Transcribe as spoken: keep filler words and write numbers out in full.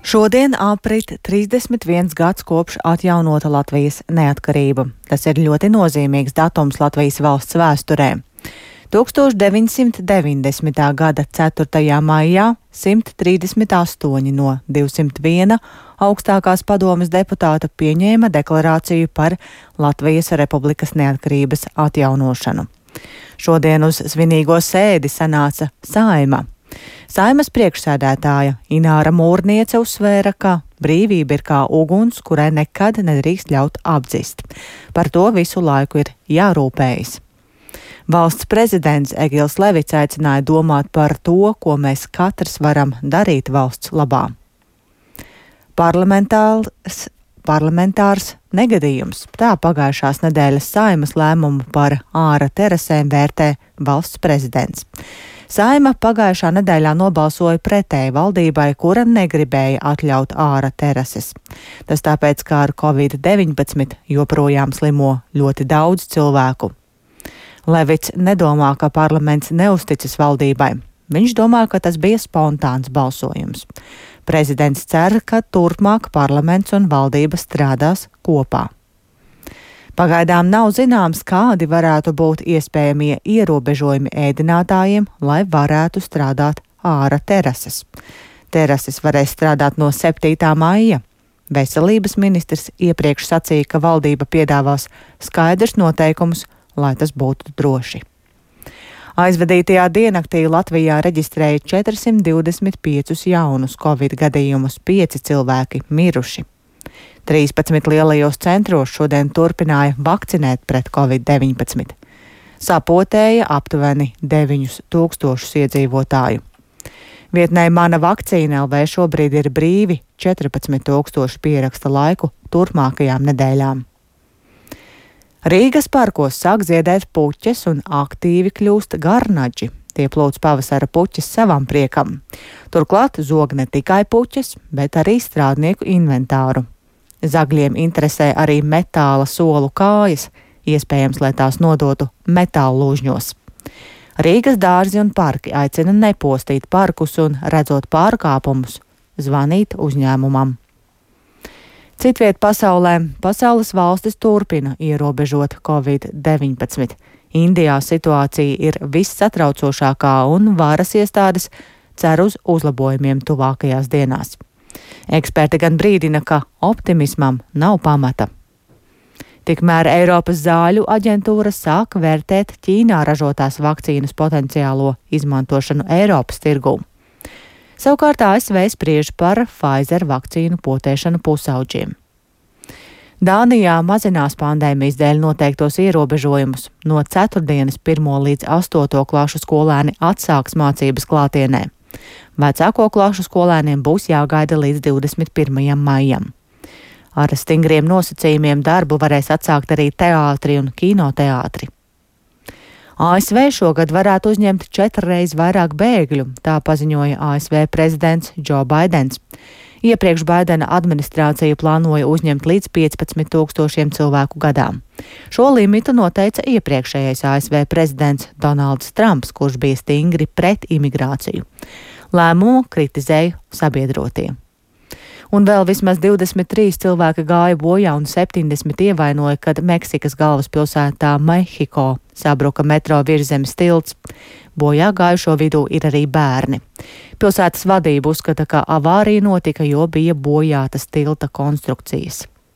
Šodien aprit trīsdesmit viens gads kopš atjaunota Latvijas neatkarība. Tas ir ļoti nozīmīgs datums Latvijas valsts vēsturē. tūkstoš deviņsimt deviņdesmitā gada ceturtajā maijā simt trīsdesmit astoņi no divsimt viena augstākās padomes deputāta pieņēma deklarāciju par Latvijas Republikas neatkarības atjaunošanu. Šodien uz svinīgo sēdi sanāca Saeima. Saeimas priekšsēdētāja Ināra Mūrniece uzsvēra, ka brīvība ir kā uguns, kurai nekad nedrīkst ļaut apdzist. Par to visu laiku ir jārūpējas. Valsts prezidents Egils Levits aicināja domāt par to, ko mēs katrs varam darīt valsts labā. Parlamentārs, parlamentārs negadījums. Tā pagājušās nedēļas Saeimas lēmumu par āra terasēm vērtē valsts prezidents. Saeima pagājušā nedēļā nobalsoja pretēji valdībai, kura negribēja atļaut āra terases. Tas tāpēc, ka ar covid deviņpadsmit joprojām slimo ļoti daudz cilvēku. Levits nedomā, ka parlaments neusticas valdībai. Viņš domā, ka tas bija spontāns balsojums. Prezidents cer, ka turpmāk parlaments un valdība strādās kopā. Pagaidām nav zināms, kādi varētu būt iespējamie ierobežojumi ēdinātājiem, lai varētu strādāt āra terases. Terases varēs strādāt no septītā maija. Veselības ministrs iepriekš sacīja, ka valdība piedāvās skaidrs noteikumus, lai tas būtu droši. Aizvadītajā diennaktī Latvijā reģistrēja četrsimt divdesmit piecus jaunus covid gadījumus, pieci cilvēki miruši. trīspadsmit lielajos centros šodien turpināja vakcinēt pret covid deviņpadsmit. Sapotēja aptuveni deviņus tūkstošus iedzīvotāju. Vietnē Mana vakcīna L V šobrīd ir brīvi četrpadsmit tūkstoši pieraksta laiku turpmākajām nedēļām. Rīgas parkos sāk ziedēt puķes un aktīvi kļūst garnaģi. Tie plūc pavasara puķes savam priekam. Turklāt zog ne tikai puķes, bet arī strādnieku inventāru. Zagļiem interesē arī metāla solu kājas, iespējams, lai tās nodotu metāla lūžņos. Rīgas dārzi un parki aicina nepostīt parkus un, redzot pārkāpumus, zvanīt uzņēmumam. Citviet pasaulē pasaules valstis turpina ierobežot covid deviņpadsmit. Indijā situācija ir vissatraucošākā un varas iestādes cer uz uzlabojumiem tuvākajās dienās. Eksperti gan brīdina, ka optimismam nav pamata. Tikmēr Eiropas zāļu aģentūra sāk vērtēt Ķīnā ražotās vakcīnas potenciālo izmantošanu Eiropas tirgū. Savukārt A S V spriež par Pfizer vakcīnu potēšanu pusauģiem. Dānijā mazinās pandēmijas dēļ noteiktos ierobežojumus. No ceturtdienas pirmo līdz astoto klašu skolēni atsāks mācības klātienē. Vecāko klašu skolēniem būs jāgaida līdz divdesmit pirmajam maijam. Ar stingriem nosacījumiem darbu varēs atsākt arī teātri un kinoteātri. A S V šogad varētu uzņemt četrreiz vairāk bēgļu, tā paziņoja A S V prezidents Džo Baidens. Iepriekš Baidena administrācija plānoja uzņemt līdz piecpadsmit tūkstošiem cilvēku gadā. Šo limitu noteica iepriekšējais A S V prezidents Donalds Trumps, kurš bija stingri pret imigrāciju. Lēmumu kritizēja sabiedrotie. Un vēl vismaz divdesmit trīs cilvēki gāja bojā un septiņdesmit ievainoja, kad Meksikas galvaspilsētā Mehiko sabruka metro virszemes tilts. Bojā gājušo vidū ir arī bērni. Pilsētas vadība uzskata, ka avārija notika, jo bija bojātas tilta konstrukcijas.